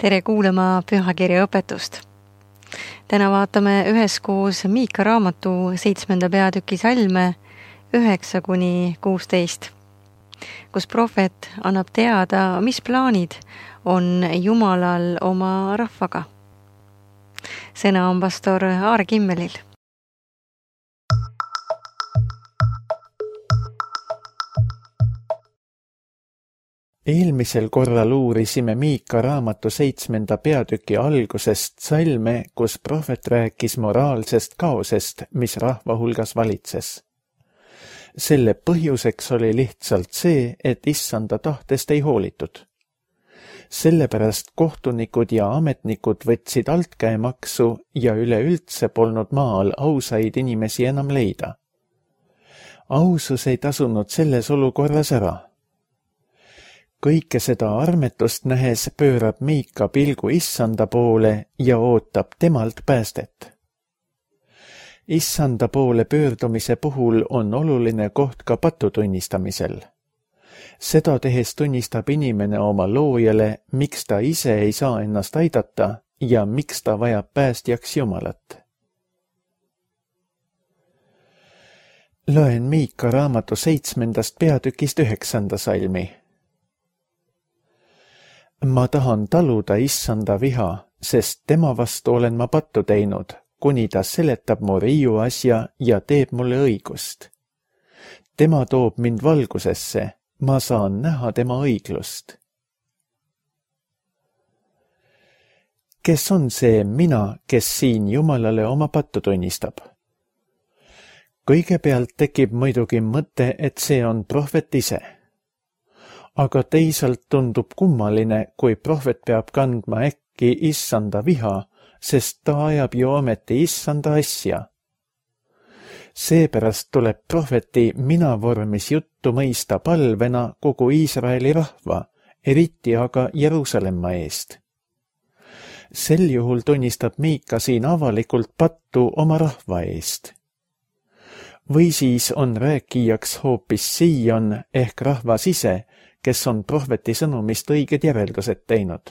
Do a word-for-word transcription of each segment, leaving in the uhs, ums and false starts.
Tere kuulama pühakirja õpetust. Täna vaatame üheskoos Miika raamatu seitsmenda peatüki salme üheksa kuni kuusteist, kus prohvet annab teada, mis plaanid on Jumalal oma rahvaga. Sõna on pastor Aar Kimmelil. Eelmisel korral uurisime Miika raamatu seitsmenda peatüki algusest salme, kus prohvet rääkis moraalsest kaosest, mis rahva hulgas valitses. Selle põhjuseks oli lihtsalt see, et issanda tahtest ei hoolitud. Sellepärast kohtunikud ja ametnikud võtsid altkäemaksu ja üleüldse polnud maal ausaid inimesi enam leida. Ausus ei tasunud selles olukorras ära. Kõike seda armetust nähes pöörab Miika pilgu issanda poole ja ootab temalt päästet. Issanda poole pöördumise puhul on oluline koht ka patu tunnistamisel. Seda tehes tunnistab inimene oma loojale, miks ta ise ei saa ennast aidata ja miks ta vajab päästjaks Jumalat. Loen Miika raamatu seitsmendast peatükist üheksanda salmi. Ma tahan taluda issanda viha, sest tema vastu olen ma pattu teinud, kuni ta seletab mu riiu asja ja teeb mulle õigust. Tema toob mind valgusesse, ma saan näha tema õiglust. Kes on see mina, kes siin Jumalale oma pattu tunnistab? Kõigepealt tekib muidugi mõte, et see on prohvet ise. Aga teisalt tundub kummaline, kui prohvet peab kandma äkki issanda viha, sest ta ajab ju ometi issanda asja. Seepärast tuleb prohveti mina vormis juttu mõista palvena kogu Iisraeli rahva, eriti aga Jeruusalemma eest. Sel juhul tunnistab Miika siin avalikult pattu oma rahva eest. Või siis on rääkijaks hoopis Siion ehk rahvas ise, kes on prohveti sõnumist õiged järeldused teinud.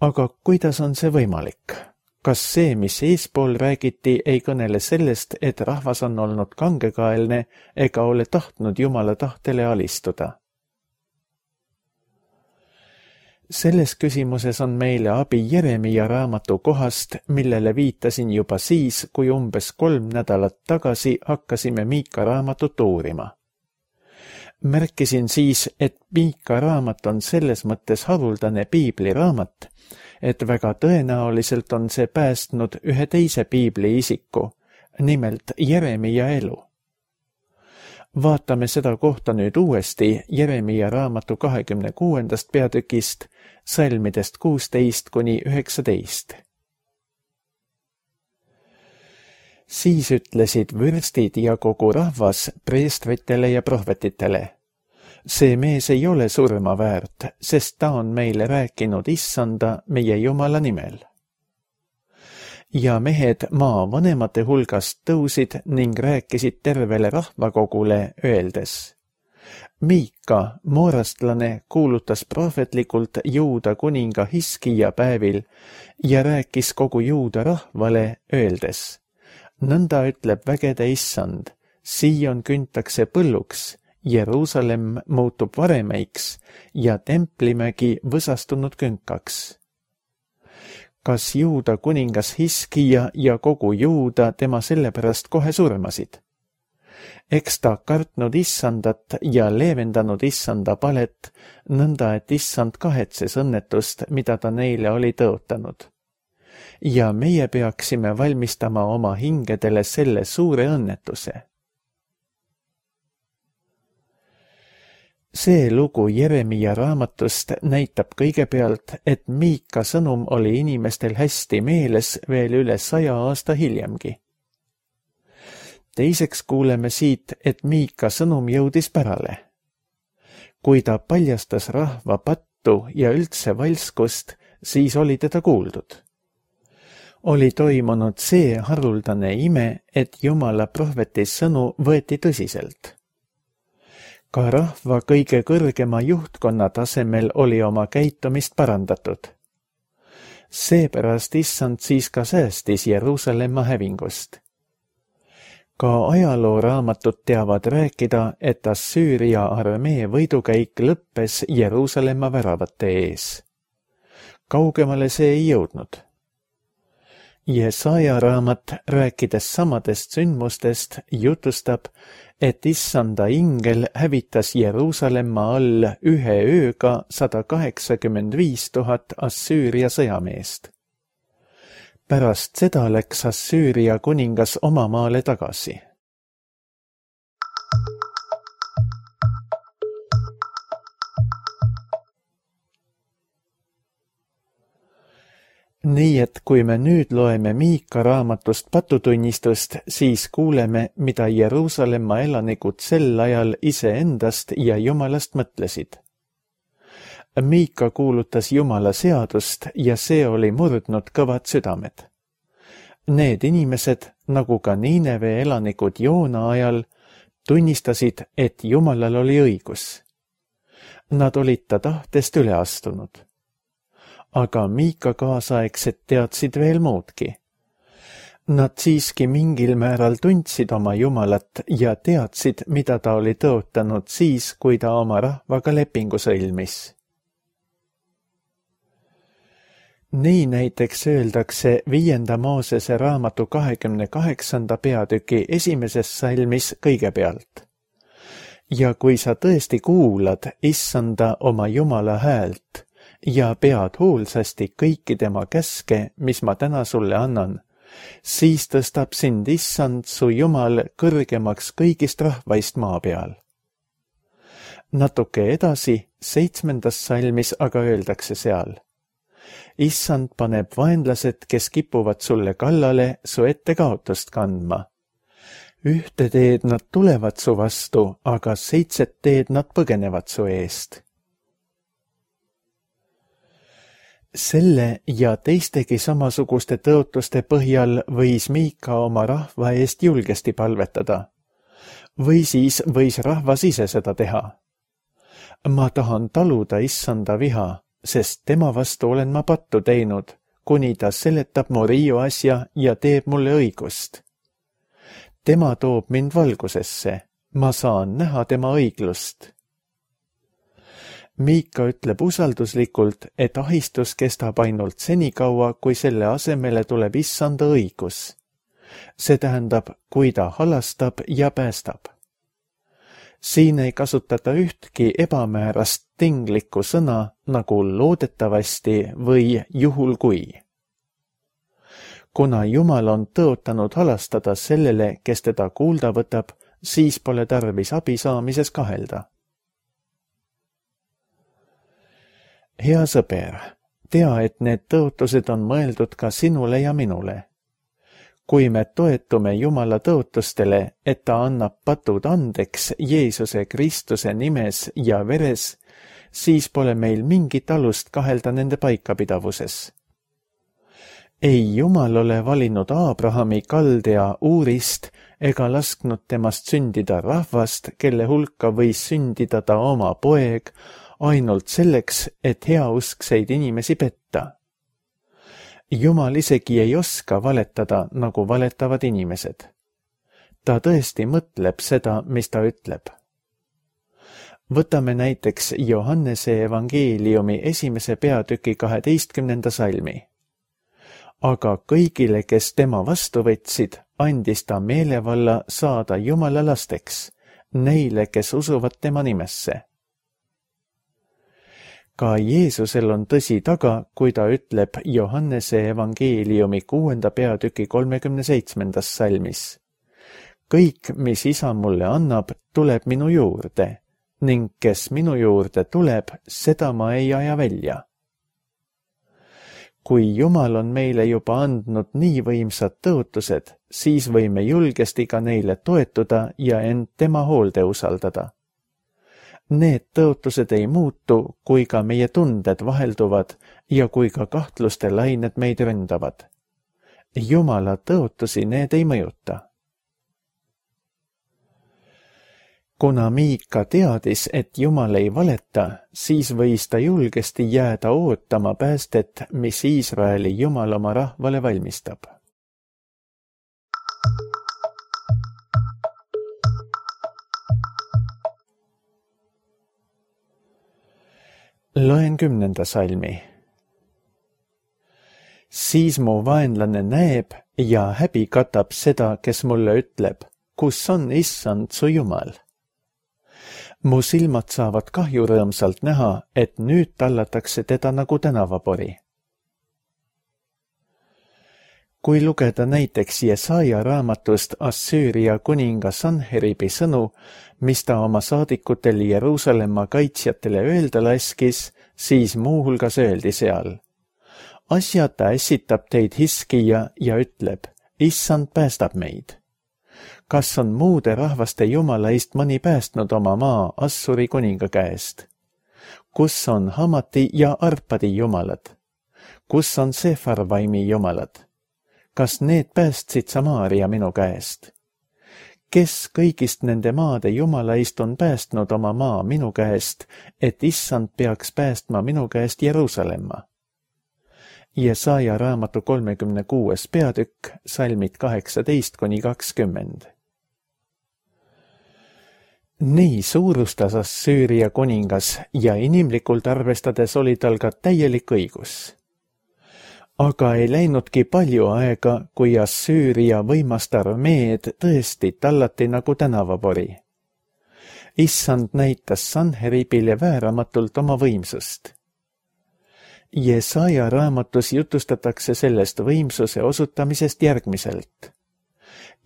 Aga kuidas on see võimalik? Kas see, mis eespool räägiti, ei kõnele sellest, et rahvas on olnud kangekaelne ega ole tahtnud Jumala tahtele alistuda? Selles küsimuses on meile abi Jeremia raamatu kohast, millele viitasin juba siis, kui umbes kolm nädalat tagasi hakkasime Miika raamatut uurima. Märkisin siis, et Miika raamat on selles mõttes haruldane piibliraamat, et väga tõenäoliselt on see päästnud ühe teise piibli isiku, nimelt Jeremia elu. Vaatame seda kohta nüüd uuesti Jeremia raamatu kahekümne kuuendast peatükist, salmidest kuusteist kuni üheksateist. Siis ütlesid vürstid ja kogu rahvas preestritele ja prohvetitele. See mees ei ole surma väärt, sest ta on meile rääkinud issanda meie Jumala nimel. Ja mehed maa vanemate hulgast tõusid ning rääkisid tervele rahvakogule, öeldes. Miika, moorastlane, kuulutas prohvetlikult Juuda kuninga Hiskija päevil ja rääkis kogu Juuda rahvale, öeldes. Nõnda ütleb vägede issand, Siion küntakse põlluks, Jeruusalemm muutub varemeiks ja templimägi võsastunud künkaks. Kas Juuda kuningas Hiskija ja kogu Juuda tema sellepärast kohe surmasid? Eks ta kartnud issandat ja leevendanud issanda palet, nõnda et issand kahetses õnnetust, mida ta neile oli tõotanud. Ja meie peaksime valmistama oma hingedele selle suure õnnetuse. See lugu Jeremia raamatust näitab kõigepealt, et Miika sõnum oli inimestel hästi meeles veel üle saja aasta hiljemgi. Teiseks kuuleme siit, et Miika sõnum jõudis pärale. Kui ta paljastas rahva pattu ja üldse valskust, siis oli teda kuuldud. Oli toimunud see haruldane ime, et Jumala prohveti sõnu võeti tõsiselt. Ka rahva kõige kõrgema juhtkonna tasemel oli oma käitumist parandatud. Seepärast issand siis ka säästis Jeruusalemma hävingust. Ka ajalooraamatud teavad rääkida, et Assüüria armee võidukäik lõppes Jeruusalemma väravate ees. Kaugemale see ei jõudnud. Jesaja raamat, rääkides samadest sündmustest, jutustab, et issanda ingel hävitas Jeruusalemma all ühe ööga sada kaheksakümmend viis tuhat Assüüria sõjameest. Pärast seda läks Assüüria kuningas oma maale tagasi. Nii et kui me nüüd loeme Miika raamatust patutunnistust, siis kuuleme, mida Jeruusalemma elanikud sel ajal iseendast ja Jumalast mõtlesid. Miika kuulutas Jumala seadust ja see oli murdnud kõvad südamed. Need inimesed, nagu ka Niineve elanikud Joona ajal, tunnistasid, et Jumalal oli õigus. Nad olid ta tahtest üle astunud. Aga Miika kaasaegsed teadsid veel muudki. Nad siiski mingil määral tundsid oma Jumalat ja teadsid, mida ta oli tõotanud siis, kui ta oma rahvaga lepingu sõlmis. Nii näiteks öeldakse viienda Moosese raamatu kahekümne kaheksanda peatüki esimeses salmis kõigepealt. Ja kui sa tõesti kuulad issanda oma Jumala häält, ja pead hoolsasti kõiki tema käske, mis ma täna sulle annan, siis tõstab sind issand su Jumal kõrgemaks kõigist rahvaist maa peal. Natuke edasi, seitsmendas salmis aga öeldakse seal. Issand paneb vaenlased, kes kipuvad sulle kallale, su ette kaotust kandma. Ühte teed nad tulevad su vastu, aga seitset teed nad põgenevad su eest. Selle ja teistegi samasuguste tõotuste põhjal võis Miika oma rahva eest julgesti palvetada. Või siis võis rahvas ise seda teha. Ma tahan taluda issanda viha, sest tema vastu olen ma pattu teinud, kuni ta seletab mu riiu asja ja teeb mulle õigust. Tema toob mind valgusesse, ma saan näha tema õiglust. Miika ütleb usalduslikult, et ahistus kestab ainult senikaua, kui selle asemele tuleb issanda õigus. See tähendab, kui ta halastab ja päästab. Siin ei kasutata ühtki ebamäärast tinglikku sõna nagu loodetavasti või juhul kui. Kuna Jumal on tõotanud halastada sellele, kes teda kuulda võtab, siis pole tarvis abi saamises kahelda. Hea sõber, tea, et need tõotused on mõeldud ka sinule ja minule. Kui me toetume Jumala tõotustele, et ta annab patud andeks Jeesuse Kristuse nimes ja veres, siis pole meil mingit alust kahelda nende paikapidavuses. Ei Jumal ole valinud Abrahami Kaldea Uurist ega lasknud temast sündida rahvast, kelle hulka võis sündida ta oma poeg, ainult selleks, et heauskseid inimesi petta. Jumal isegi ei oska valetada, nagu valetavad inimesed. Ta tõesti mõtleb seda, mis ta ütleb. Võtame näiteks Johannese evangeeliumi esimese peatüki kaheteistkümnenda salmi. Aga kõigile, kes tema vastu võtsid, andis ta meelevalla saada Jumala lasteks, neile, kes usuvad tema nimesse. Ka Jeesusel on tõsi taga, kui ta ütleb Johannese evangeeliumi kuuenda peatüki kolmekümne seitsmendas salmis. Kõik, mis isa mulle annab, tuleb minu juurde, ning kes minu juurde tuleb, seda ma ei aja välja. Kui Jumal on meile juba andnud nii võimsad tõotused, siis võime julgesti ka neile toetuda ja end tema hoolde usaldada. Need tõotused ei muutu, kui ka meie tunded vahelduvad ja kui ka kahtluste lained meid ründavad. Jumala tõotusi need ei mõjuta. kuna Miika teadis, et Jumal ei valeta, siis võis ta julgesti jääda ootama päästet, mis Iisraeli Jumal oma rahvale valmistab. Loen kümnenda salmi. Siis mu vaenlane näeb ja häbi katab seda, kes mulle ütleb, kus on Issand su Jumal. Mu silmad saavad kahju rõõmsalt näha, et nüüd tallatakse teda nagu tänavapori. Kui lugeda näiteks Jesaja raamatust Assüüria kuninga Sanheribi sõnu, mis ta oma saadikutel Jeruusalemma kaitsjatele öelda laskis, siis muuhulgas öeldi seal. Asjata ässitab teid hiskija ja ütleb, Issand päästab meid. Kas on muude rahvaste jumalaist mõni päästnud oma maa Assuri kuninga käest? Kus on Hamati ja Arpadi jumalad? Kus on Sefarvaimi jumalad? Kas need päästsid Samaaria minu käest? Kes kõigist nende maade jumalaist on päästnud oma maa minu käest, et Issand peaks päästma minu käest Jeruusalemma? Jesaja raamatu kolmekümne kuues peatükk, salmid kaheksateist kuni kakskümmend. Nii suurustas Assüüria kuningas ja inimlikult arvestades oli tal ka täielik õigus. Aga ei läinudki palju aega, kui Assüüria võimast armeed tõesti tallati nagu tänavapori. Issand näitas Sanheribile vääramatult oma võimsust. Jesaja raamatus jutustatakse sellest võimsuse osutamisest järgmiselt.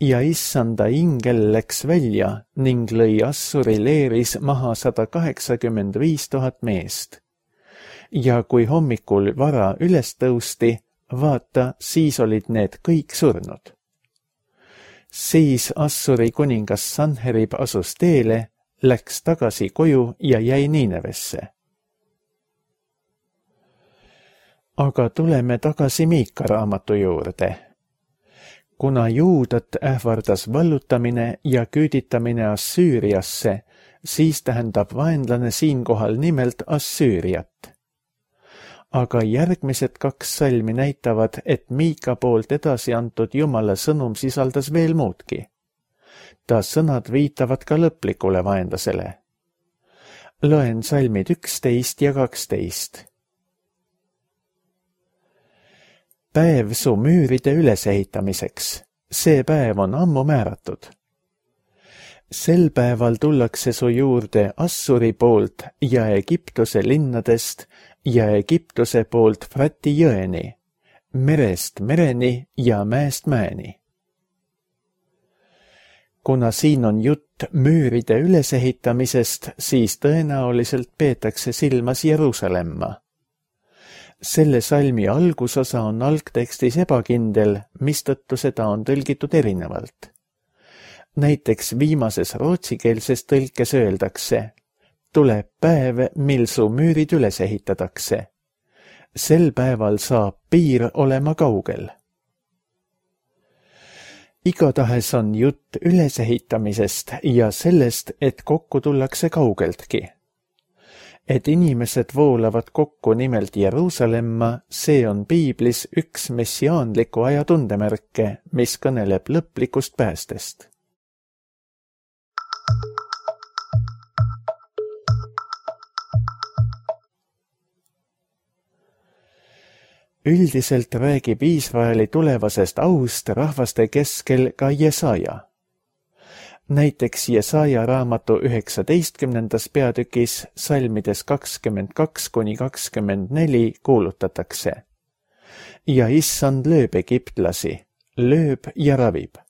Ja Issanda ingel läks välja ning lõi Assuri leeris maha sada kaheksakümmend viis tuhat meest. Ja kui hommikul vara üles tõusti, vaata, siis olid need kõik surnud. Siis Assuri kuningas Sanherib asus teele, läks tagasi koju ja jäi Niinevesse. Aga tuleme tagasi Miika raamatu juurde. Kuna Juudat ähvardas vallutamine ja küüditamine Assüüriasse, siis tähendab vaenlane siinkohal nimelt Assüüriat. Aga järgmised kaks salmi näitavad, et Miika poolt edasi antud Jumala sõnum sisaldas veel muudki. Ta sõnad viitavad ka lõplikule vaenlasele. Loen salmid üksteist ja kaksteist. Päev su müüride ülesehitamiseks. See päev on ammu määratud. Sel päeval tullakse su juurde Assuri poolt ja Egiptuse linnadest ja Egiptuse poolt Frati jõeni, merest mereni ja mäest mäeni. Kuna siin on jutt müüride ülesehitamisest, siis tõenäoliselt peetakse silmas Jeruusalemma. Selle salmi algusosa on algtekstis ebakindel, mistõttu seda on tõlgitud erinevalt. Näiteks viimases rootsikeelses tõlkes öeldakse, tuleb päev, mil su müürid üles ehitatakse. Sel päeval saab piir olema kaugel. Igatahes on jutt ülesehitamisest ja sellest, et kokku tullakse kaugeltki. Et inimesed voolavad kokku nimelt Jeruusalemma, see on piiblis üks messiaanliku aja tundemärke, mis kõneleb lõplikust päästest. Üldiselt räägib Iisraeli tulevasest aust rahvaste keskel ka Jesaja. Näiteks Jesaja raamatu üheksateistkümnendas peatükis salmides kakskümmend kaks kuni kakskümmend neli kuulutatakse. Ja Issand lööb egiptlasi, lööb ja ravib.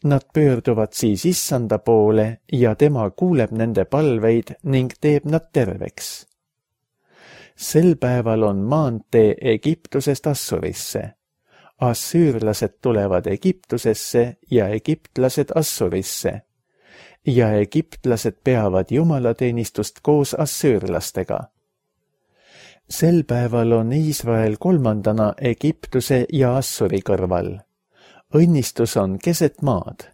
Nad pöörduvad siis Issanda poole ja tema kuuleb nende palveid ning teeb nad terveks. Sel päeval on maantee Egiptusest Assurisse. Assüürlased tulevad Egiptusesse ja egiptlased Assurisse. Ja egiptlased peavad jumalateenistust koos assüürlastega. Sel päeval on Iisrael kolmandana Egiptuse ja Assuri kõrval. Õnnistus on keset maad.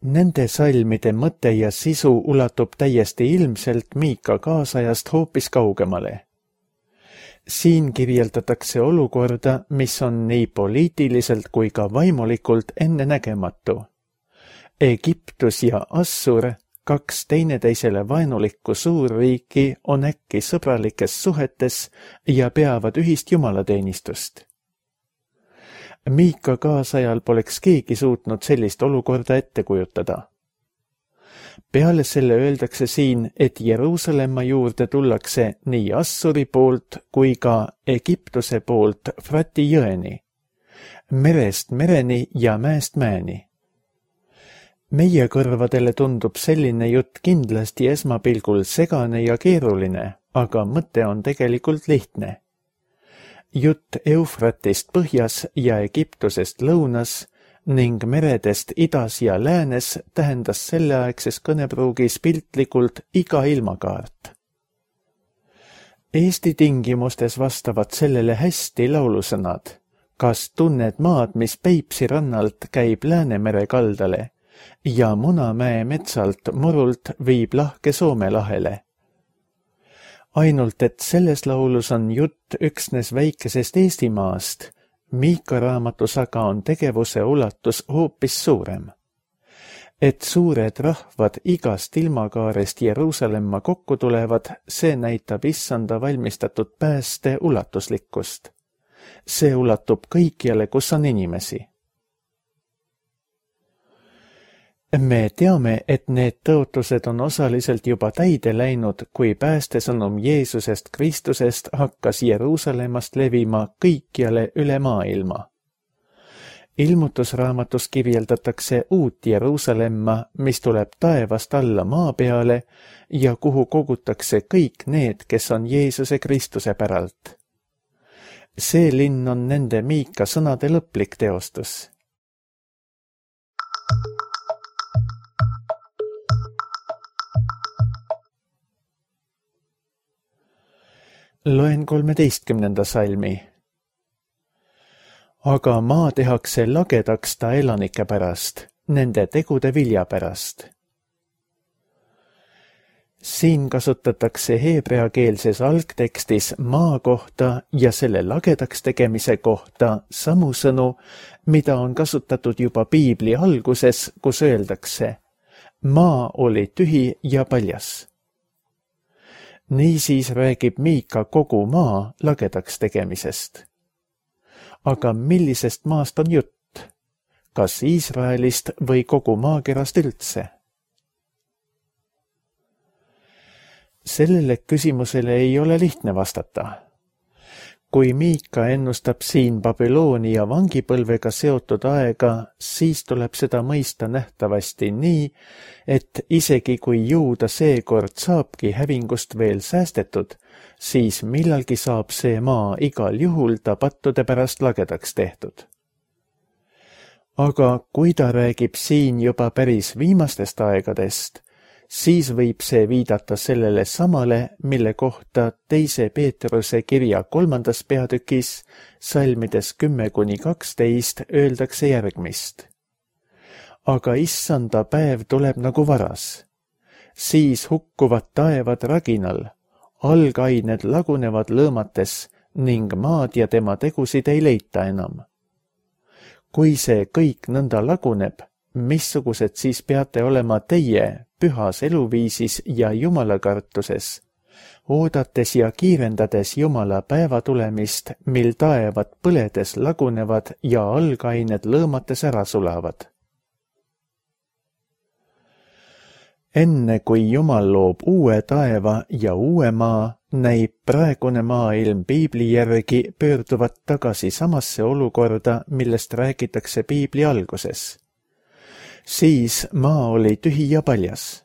Nende salmide mõte ja sisu ulatub täiesti ilmselt Miika kaasajast hoopis kaugemale. Siin kirjeldatakse olukorda, mis on nii poliitiliselt kui ka vaimulikult ennenägematu. Egiptus ja Assur, kaks teineteisele vaenulikku suurriiki, on äkki sõbralikes suhetes ja peavad ühist jumalateenistust. Miika kaasajal poleks keegi suutnud sellist olukorda ette kujutada. Peale selle öeldakse siin, et Jeruusalemma juurde tullakse nii Assuri poolt kui ka Egiptuse poolt Frati jõeni, merest mereni ja mäest mäeni. Meie kõrvadele tundub selline jutt kindlasti esmapilgul segane ja keeruline, aga mõte on tegelikult lihtne. Jutt Eufratist põhjas ja Egiptusest lõunas ning meredest idas ja läänes tähendas selleaegses kõnepruugis piltlikult iga ilmakaart. Eesti tingimustes vastavad sellele hästi laulusõnad. Kas tunned maad, mis Peipsi rannalt käib Läänemere kaldale ja Munamäe metsalt murult viib lahke Soome lahele? Ainult, et selles laulus on jutt üksnes väikesest Eestimaast, Miika raamatus aga on tegevuse ulatus hoopis suurem. Et suured rahvad igast ilmakaarest Jeruusalemma kokku tulevad, see näitab issanda valmistatud pääste ulatuslikkust. See ulatub kõikjale, kus on inimesi. Me teame, et need tõotused on osaliselt juba täide läinud, kui päästesõnum Jeesusest Kristusest hakkas Jeruusalemmast levima kõikjale üle maailma. Ilmutusraamatus kirjeldatakse uut Jeruusalemma, mis tuleb taevast alla maa peale ja kuhu kogutakse kõik need, kes on Jeesuse Kristuse päralt. See linn on nende Miika sõnade lõplik teostus. Loen kolmeteistkümnenda salmi. Aga maa tehakse lagedaks ta elanike pärast, nende tegude vilja pärast. Siin kasutatakse heebreakeelses algtekstis maa kohta ja selle lagedaks tegemise kohta samu sõnu, mida on kasutatud juba Piibli alguses, kus öeldakse, maa oli tühi ja paljas. Niisiis räägib Miika kogu maa lagedaks tegemisest. Aga millisest maast on jutt? Kas Iisraelist või kogu maakerast üldse? Sellele küsimusele ei ole lihtne vastata. Kui Miika ennustab siin Babyloonia vangipõlvega seotud aega, siis tuleb seda mõista nähtavasti nii, et isegi kui juuda seekord saabki hävingust veel säästetud, siis millalgi saab see maa igal juhul ta pattude pärast lagedaks tehtud. Aga kui ta räägib siin juba päris viimastest aegadest, siis võib see viidata sellele samale, mille kohta teise Peetruse kirja kolmandas peatükis, salmides kümme kuni kaksteist, öeldakse järgmist. Aga issanda päev tuleb nagu varas. Siis hukkuvad taevad raginal, algained lagunevad lõõmates ning maad ja tema tegusid ei leita enam. Kui see kõik nõnda laguneb, missugused siis peate olema teie pühas eluviisis ja jumalakartuses, oodates ja kiirendades Jumala päeva tulemist, mil taevad põledes lagunevad ja algained lõõmates ära sulavad. Enne kui Jumal loob uue taeva ja uue maa, näib praegune maailm Piibli järgi pöörduvat tagasi samasse olukorda, millest räägitakse Piibli alguses. Siis maa oli tühi ja paljas.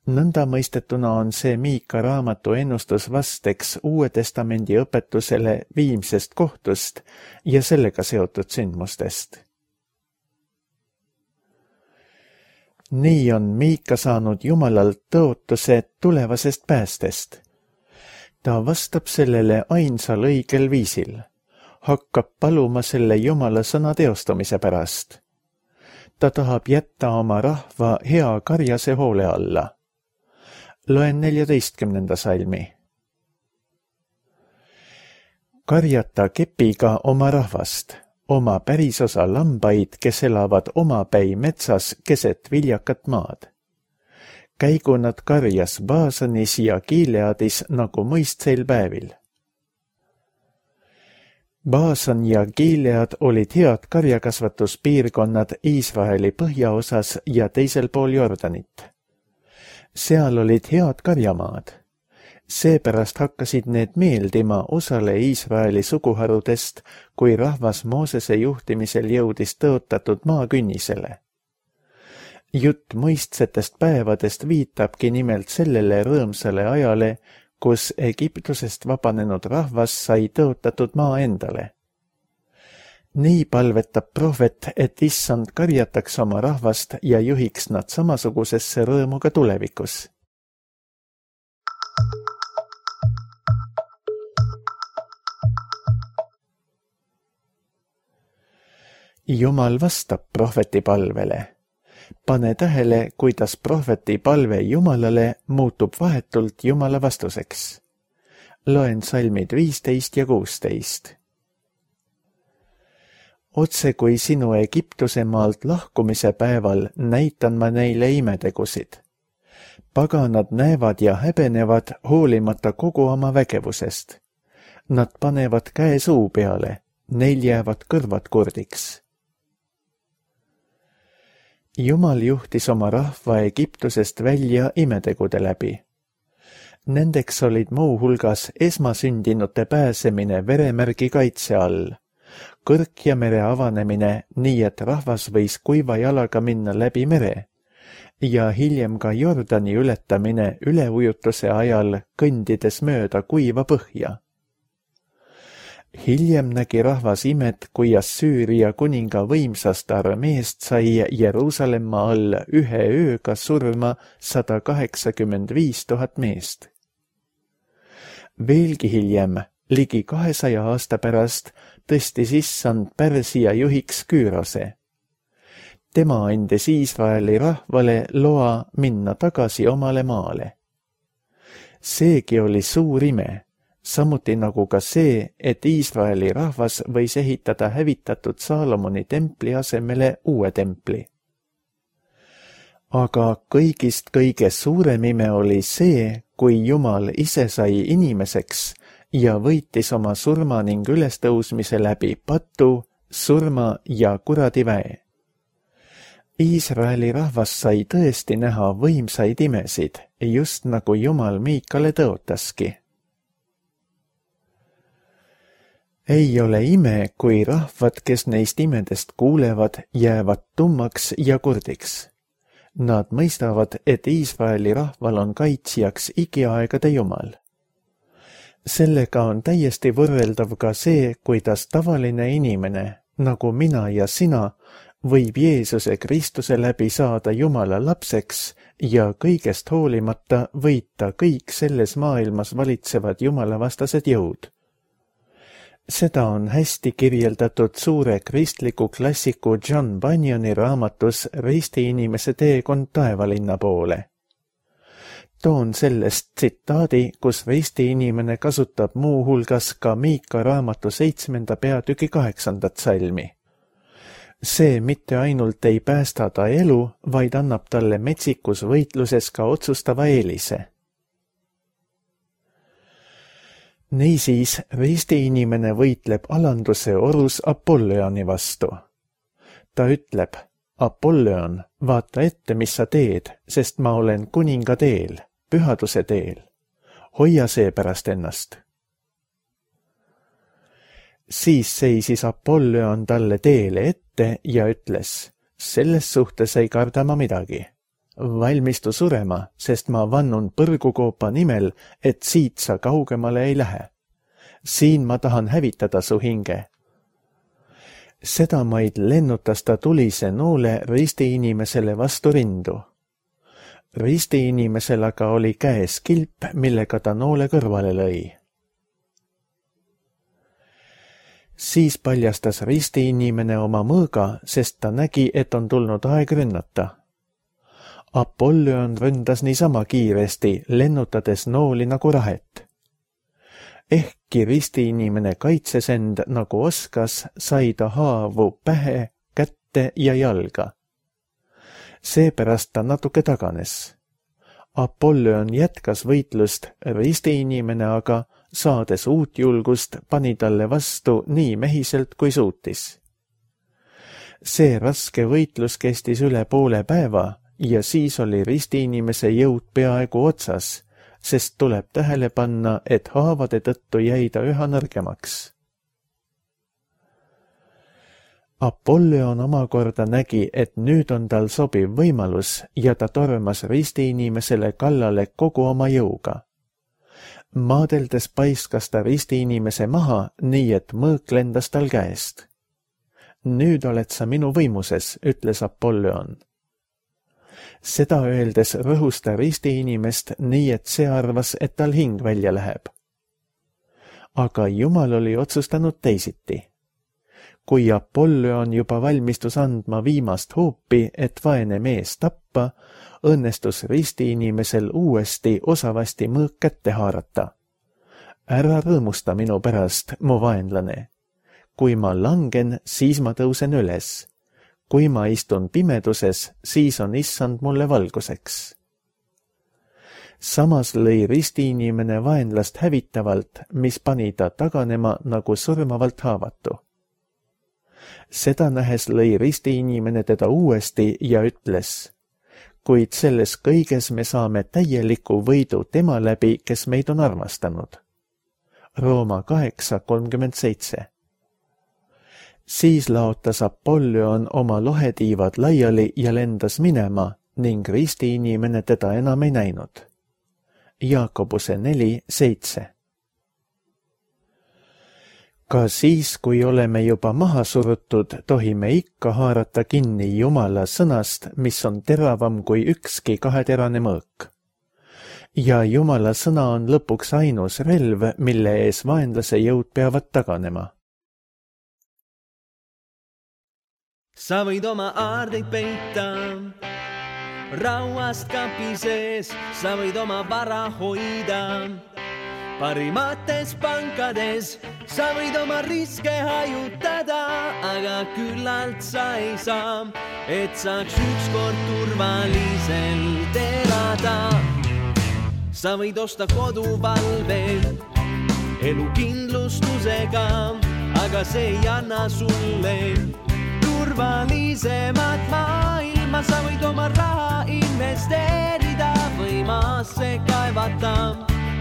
Nõnda mõistetuna on see Miika raamatu ennustus vasteks Uue Testamendi õpetusele viimsest kohtust ja sellega seotud sündmustest. Nii on Miika saanud Jumalalt tõotuse tulevasest päästest. Ta vastab sellele ainsal õigel viisil, hakkab paluma selle Jumala sõna teostamise pärast. ta tahab jätta oma rahva hea karjase hoole alla. Loen neljateistkümnenda salmi. Karjata kepiga oma rahvast, oma pärisosa lambaid, kes elavad omapäi metsas keset viljakat maad. Käigu nad karjas Baasanis ja Gileadis nagu mõistseil päevil. Baasan ja Gilead olid head karjakasvatuspiirkonnad Iisraeli põhjaosas ja teisel pool Jordanit. Seal olid head karjamaad. Seepärast hakkasid need meeldima osale Iisraeli suguharudest, kui rahvas Moosese juhtimisel jõudis tõotatud maakünnisele. Jutt mõistsetest päevadest viitabki nimelt sellele rõõmsale ajale, kus Egiptusest vabanenud rahvas sai tõotatud maa endale. Nii palvetab prohvet, et issand karjataks oma rahvast ja juhiks nad samasugusesse rõõmu ka tulevikus. Jumal vastab prohveti palvele. Pane tähele, kuidas prohveti palve Jumalale muutub vahetult Jumala vastuseks. Loen salmid viisteist ja kuusteist. Otse kui sinu Egiptuse maalt lahkumise päeval näitan ma neile imetegusid. Paganad näevad ja häbenevad hoolimata kogu oma vägevusest. Nad panevad käe suu peale, neil jäävad kõrvad kurdiks. Jumal juhtis oma rahva Egiptusest välja imetegude läbi. Nendeks olid muu hulgas esmasündinute pääsemine veremärgi kaitse all, Kõrk ja mere avanemine nii, et rahvas võis kuiva jalaga minna läbi mere ja hiljem ka Jordani ületamine üleujutuse ajal kõndides mööda kuiva põhja. Hiljem nägi rahvas imet, kui Assüüria kuninga võimsast armeest sai Jeruusalemma all ühe ööga surma sada kaheksakümmend viis tuhat meest. Veelgi hiljem, ligi kahesaja aasta pärast, tõstis issand Pärsia juhiks Küürose. Tema andis Iisraeli rahvale loa minna tagasi omale maale. Seegi oli suur ime. Samuti nagu ka see, et Iisraeli rahvas võis ehitada hävitatud Saalomoni templi asemele uue templi. Aga kõigist kõige suurem ime oli see, kui Jumal ise sai inimeseks ja võitis oma surma ning ülestõusmise läbi patu, surma ja kuradiväe. Iisraeli rahvas sai tõesti näha võimsaid imesid, just nagu Jumal Miikale tõotaski. Ei ole ime, kui rahvad, kes neist imedest kuulevad, jäävad tummaks ja kurdiks. Nad mõistavad, et Iisraeli rahval on kaitsjaks igiaegade Jumal. Sellega on täiesti võrreldav ka see, kuidas tavaline inimene, nagu mina ja sina, võib Jeesuse Kristuse läbi saada Jumala lapseks ja kõigest hoolimata võita kõik selles maailmas valitsevad jumalavastased jõud. Seda on hästi kirjeldatud suure kristliku klassiku John Bunyani raamatus Risti inimese teekond taevalinna poole. Toon sellest tsitaadi, kus risti inimene kasutab muu hulgas ka Miika raamatu seitsmenda peatüki kaheksandat salmi. See mitte ainult ei päästa ta elu, vaid annab talle metsikus võitluses ka otsustava eelise. Niisiis, risti inimene võitleb alanduse orus Apolloni vastu. Ta ütleb, Apollon, vaata ette, mis sa teed, sest ma olen kuninga teel, pühaduse teel. Hoia seepärast ennast. Siis seisis Apollon talle teele ette ja ütles, selles suhtes ei karda ma midagi. Valmistu surema, sest ma vannun põrgukoopa nimel, et siit sa kaugemale ei lähe. Siin ma tahan hävitada su hinge. Sedamaid lennutas ta tulise noole risti inimesele vastu rindu. Risti inimesel aga oli käes kilp, millega ta noole kõrvale lõi. Siis paljastas ristiinimene oma mõõga, sest ta nägi, et on tulnud aeg rünnata. Apollyon ründas niisama kiiresti, lennutades nooli nagu rahet. Ehkki ristiinimene kaitses end nagu oskas, sai ta haavu pähe, kätte ja jalga. Seepärast ta natuke taganes. Apollyon jätkas võitlust, ristiinimene aga, saades uut julgust, pani talle vastu nii mehiselt kui suutis. See raske võitlus kestis üle poole päeva ja siis oli ristiinimese jõud peaaegu otsas, sest tuleb tähele panna, et haavade tõttu jäi ta üha nõrgemaks. Apollyon omakorda nägi, et nüüd on tal sobiv võimalus ja ta tormas ristiinimesele kallale kogu oma jõuga. Maadeldes paiskas ta ristiinimese maha, nii et mõõk lendas tal käest. Nüüd oled sa minu võimuses, ütles Apollyon. Seda öeldes rõhus ta ristiinimest nii, et see arvas, et tal hing välja läheb. Aga Jumal oli otsustanud teisiti. Kui Apollyon juba valmistus andma viimast hoopi, et vaene mees tappa, õnnestus ristiinimesel uuesti osavasti mõõk kätte haarata. Ära rõõmusta minu pärast, mu vaenlane. Kui ma langen, siis ma tõusen üles. Kui ma istun pimeduses, siis on issand mulle valguseks. Samas lõi ristiinimene vaenlast hävitavalt, mis pani ta taganema nagu surmavalt haavatu. Seda nähes lõi ristiinimene teda uuesti ja ütles, kuid selles kõiges me saame täieliku võidu tema läbi, kes meid on armastanud. Rooma kaheksa kolmkümmend seitse. Siis laotas Apollyon oma lohetiivad laiali ja lendas minema ning ristiinimene teda enam ei näinud. Jaakobuse neli seitse. Ka siis, kui oleme juba maha surutud, tohime ikka haarata kinni Jumala sõnast, mis on teravam kui ükski kaheterane mõõk. Ja Jumala sõna on lõpuks ainus relv, mille ees vaenlase jõud peavad taganema. Sa võid oma aardeid peita rauast kapi sees, sa võid oma vara hoida parimates pankades, sa võid oma riske hajutada, aga küllalt sa ei saa, et saaks ükskord turvaliselt elada. Sa võid osta koduvalve elukindlustusega, aga see ei anna sulle turvalisemat maailma. Sa võid oma raha investeerida või maasse kaevata,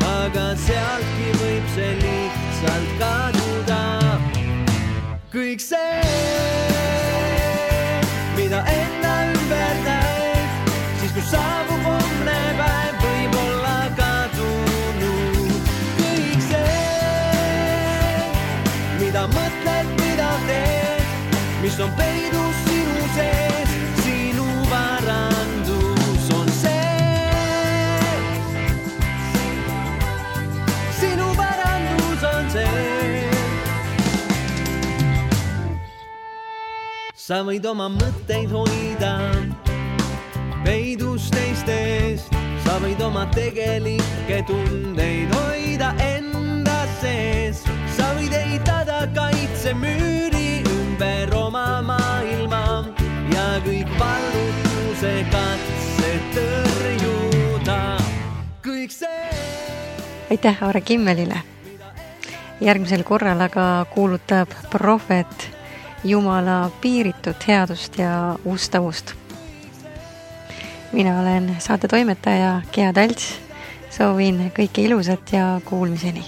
aga sealtki võib see lihtsalt kaduda. Kõik see, mida enda ümber näed, siis kui saabub homne päev, võib olla kadunud. Kõik see, mida mõtled, mida teed, mis on peidus sinu sees, sinu varandus on see. Sinu varandus on see. Sa võid oma mõtteid hoida peidus teistest, sa võid oma tegelikke tundeid hoida enda sees, sa võid ehitada kaitsemüüri ümber oma maailma ja kõik vallutuse katsed tõrjuda. Kõik see. Aitäh Aare Kimmelile. Järgmisel korral aga kuulutab prohvet Jumala piiritut headust ja ustavust. Mina olen saate toimetaja Gea Talts. Soovin kõike ilusat ja kuulmiseni.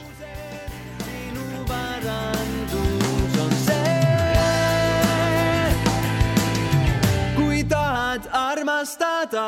Kui tahad armastada